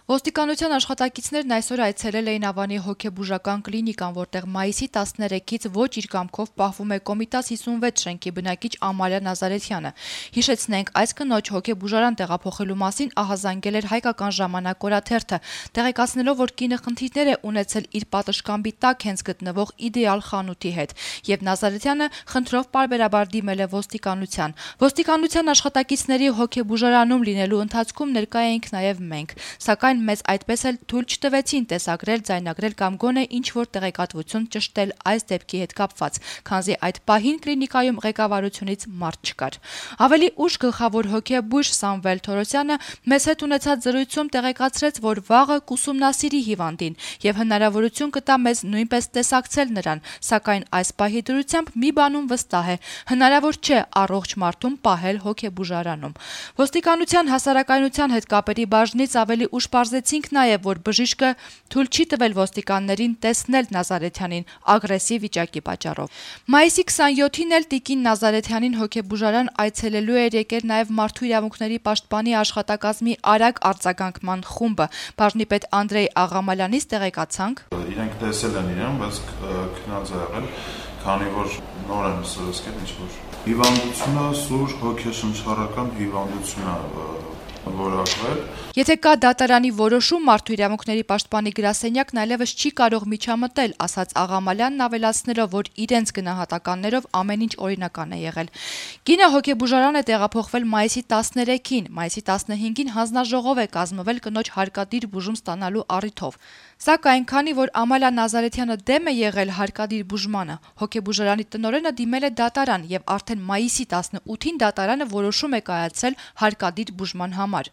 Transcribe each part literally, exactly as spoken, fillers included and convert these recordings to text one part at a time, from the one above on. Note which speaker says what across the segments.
Speaker 1: Ոստիկանության աշխատակիցներն այսօր այցելել էին Ավանի հոգեբուժական կլինիկան, որտեղ մայիսի տասներեքից ոչ իր կամքով պահվում է Կոմիտաս հիսունվեց շենքի բնակիչ Ամալիա Նազարեթյանը։ Հիշեցնենք, այս կնոջ հոգեբուժարան տեղափոխելու մասին ահազանգել էր Հայկական ժամանակ օրաթերթը, տեղեկացնելով, որ կինը խնդիրներ է ունեցել իր պատշգամբի տակ հենց գտնվող իդեալ խանութի հետ, եւ Նազարեթյանը խնդրով պարբերաբար դիմել է ոստիկանության։ Ոստիկանության աշխատակիցների հոգեբուժարանում լինելու ընթացքում ներկա էինք նաեւ մենք, սակայն մեզ այդպես էլ թույլ չտվեցին տեսագրել, ձայնագրել կամ գոնե ինչ-որ տեղեկատվություն ճշտել այս դեպքի հետ կապված, քանզի այդ պահին կլինիկայում ղեկավարությունից մարդ չկար։ Ավելի ուշ գլխավոր հոգեբույժ Սամվել Թորոսյանը մեզ հետ ունեցած զրույցում տեղեկացրեց, որ վաղը կուսումնասիրի հիվանդին եւ հնարավորություն կտա մեզ նույնպես տեսակցել նրան, սակայն այս պահի դրությամբ մի բանում վստահ է՝ հնարավոր չէ առողջ մարդուն պահել հոգեբուժարանում։ Ոստիկանության հասարակայնության հետ կապերի բաժնից ավելի ուշ պարզեցինք նաև, որ բժիշկը թույլ չի տվել ոստիկաններին տեսնել Նազարեթյանին ագրեսիվ վիճակի պատճառով։ Մայիսի քսանյոթին էլ տիկին Նազարեթյանին հոգեբուժարան այցելելու էր եկել նաև Մարդու իրավունքների պաշտպանի աշխատակազմի արագ արձագանքման խումբը։ Բաժնի պետ Անդրեյ Աղամալյանից տեղեկացանք.
Speaker 2: Իրենք տեսել են իրեն, բայց քնած է եղել, քանի որ նոր են սրսկել ինչ-որ հիվանդությունը, սուր հոգեշնչառական հիվանդություն է որակվել։
Speaker 1: Եթե կա դատարանի որոշում, Մարդու իրավունքների պաշտպանի գրասենյակն այլևս չի կարող միջամտել, ասաց Աղամալյանն, ավելացնելով, որ իրենց գնահատականներով ամեն ինչ օրինական է եղել։ Կինը հոգեբուժարան է տեղափոխվել մայիսի տասներեքին, մայիսի տասնհինգին հանձնաժողով է կազմվել կնոջ հարկադիր բուժում ստանալու առիթով։ Սակայն քանի որ Ամալիա Նազարեթյանը դեմ է եղել հարկադիր բուժմանը, հոգեբուժարանի տնօրենը դիմել է դատարան եւ արդեն մայիսի տասնութին դատարանը որոշում է կայացրել հարկադիր բուժման համար։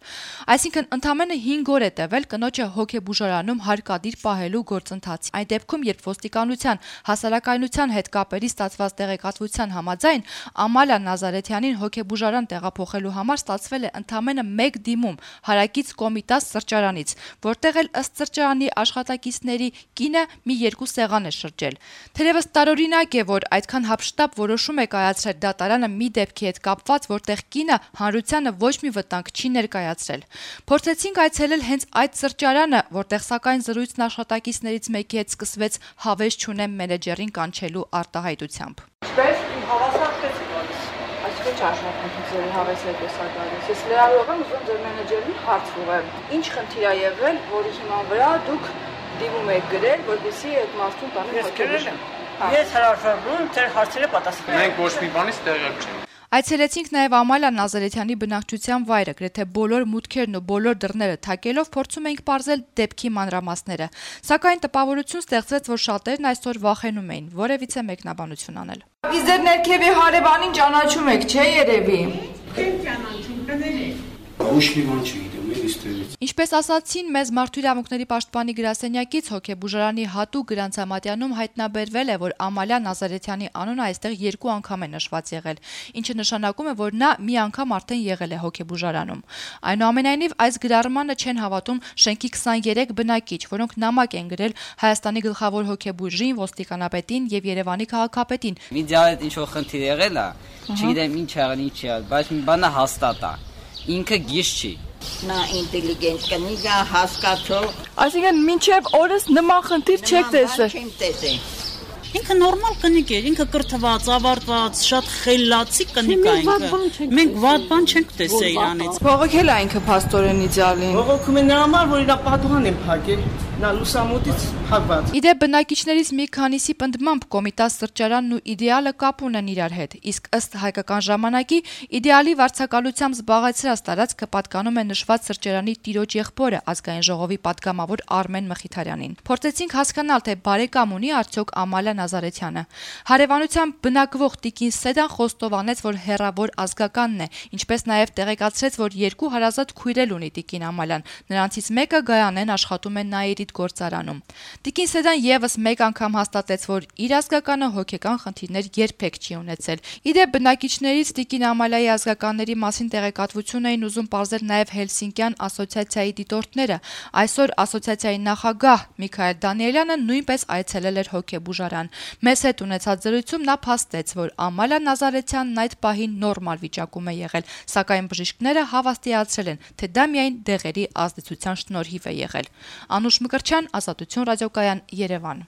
Speaker 1: Այսինքն ընդամենը հինգ օր է տևել կնոջը հոգեբուժարանում հարկադիր պահելու գործընթացի։ Այն դեպքում, երբ ոստիկանության հասարակայնության հետ կապերի ստացված տեղեկատվության համաձայն Ամալիա Նազարեթյանին հոգեբուժարան տեղափոխելու համար ստացվել է ընդամենը մեկ դիմում հարակից Կոմիտաս սրճարանից, որտեղ էլ ըստ սրճարանի աշխատակիցների կինը մի երկու սեղան է շրջել։ Թերևս տարօրինակ է, որ այդքան հափշտապ որոշում է կայացրել դատարանը մի դեպքի հետ կապված, որտեղ կինը հանրությանը ոչ մի վտանգ չի ներկայացրել։ Փորձեցինք այցելել հենց այդ սրճարանը, որտեղ սակայն զրույցն աշխատակիցներից մեկի հետ սկսվեց հավես չունեմ մենեջերին կանչելու արտահայտությամբ։
Speaker 3: Ինչպես իմ հավասարացեցի գալիս, այսինքն չաշխատանքների հավես եք էսա գալիս։ Ես լրագրող եմ, ուզում ձեր մենեջերին հարց ուղղեմ։ Ինչ խնդիր է եղել, որի հիման վրա դուք դիմում եք գրել, որպեսզի այդ մարդուն տանեք հոգեբուժարան։
Speaker 4: Ես հրաժարվում եմ ձեր հարցերը պատասխանել։
Speaker 5: Մենք ոչ մի բանից տեղյակ չենք։
Speaker 1: Այցելեցինք նաև Ամալիա Նազարեթյանի բնակչության վայրը, գրեթե բոլոր մուտքերն ու բոլոր դռները թակելով փորձում էինք պարզել դեպքի մանրամասները, սակայն տպավորություն ստեղծվեց, որ շատերն այսօր վախենում էին որևիցե մեկնաբանություն անել։
Speaker 3: Իսկ ձեր ներքևի հարևանին ճանաչում եք, չէ՞ երևի։
Speaker 4: Չեմ ճանաչում, կներեք։
Speaker 6: Ոչ մի բան չգիտեմ, էլի ստերից։
Speaker 1: Ինչպես ասացին մեզ Մարդու իրավունքների պաշտպանի գրասենյակից, հոգեբուժարանի հատուկ գրանցամատյանում հայտնաբերվել է, որ Ամալիա Նազարեթյանի անունը այստեղ երկու անգամ է նշված եղել, ինչը նշանակում է, որ նա մի անգամ արդեն եղել է հոգեբուժարանում։ Այնուամենայնիվ այս գրառմանը չեն հավատում շենքի քսաներեք բնակիչ, որոնք նամակ են գրել Հայաստանի գլխավոր հոգեբույժին, ոստիկանապետին եւ Երևանի քաղաքապետին։
Speaker 7: Իդեալը ինչ-որ խնդիր եղել է, չգիտեմ ինչ եղել, ինչ եղել, բայց մի բանը հաստատ է։ Ինքը գիժ չի։
Speaker 4: Նա ինտելիգենտ կնիկ է, հասկացող։
Speaker 3: Այսինքն մինչև օրս նման խնդիր չեք տեսել։
Speaker 4: Չեմ տեսել։
Speaker 8: Ինքը նորմալ կնիկ է, ինքը կրթված, ավարտված, շատ խելացի կնիկ է ինքը։ Մենք վատ բան չենք տեսել իրանից։
Speaker 3: Բողոքել է ինքը փաստորեն իդեալին։
Speaker 4: Բողոքում է նրա համար, որ իր պատուհան են փակել։ Նա լուսամուտից փակված։
Speaker 1: Իդեպ բնակիչներից մի քանիսի պնդմամբ Կոմիտաս սրճարանն ու իդեալը կապ ունեն իրար հետ, իսկ ըստ Հայկական ժամանակի իդեալի վարձակալությամբ զբաղեցրած տարածքը պատկանում է նշված սրճարանի տիրոջ եղբորը ազգային ժողովի պատգամավոր Արմեն Մխիթարյանին։ Փորձեցինք հասկանալ, թե բարեկամ ունի արդյոք Ամալիա Նազարեթյանը։ Հարևանությամբ բնակվող տիկին Սեդան խոստովանեց, որ հեռավոր ազգականն է, ինչպես նաև տեղեկացրեց, որ երկու հարազատ քույրեր ունի տիկին Ամալիան։ Նրանցից մեկը Գայանեն աշխատում է Նաիրիդ գործարանում։ Տիկին Սեդան եւս մեկ անգամ հաստատեց, որ իր ազգականը հոգեկան խնդիրներ երբեք չի ունեցել։ Իդեպ բնակիչներից տիկին Ամալիայի ազգականների մասին տեղեկատվություն էին ուզում պարզել նաեւ Հելսինկյան ասոցիացիայի դիտորդները։ Այսօր ասոցիացիայի նախագահ Միքայել Դանիելյանը նույնպես այցելել էր հոգեբուժարան։ Մեզ հետ ունեցած զրույցում նա փաստեց, որ Ամալիա Նազարեթյանն այդ պահին նորմալ վիճակում է եղել, սակայն բժիշկները հավաստիացրել են, թե դա միայն դեղերի ազդեցության շնորհիվ է եղել։ Անուշ Մկրտչյան, Ազատություն ռադիոկայան, Երևան։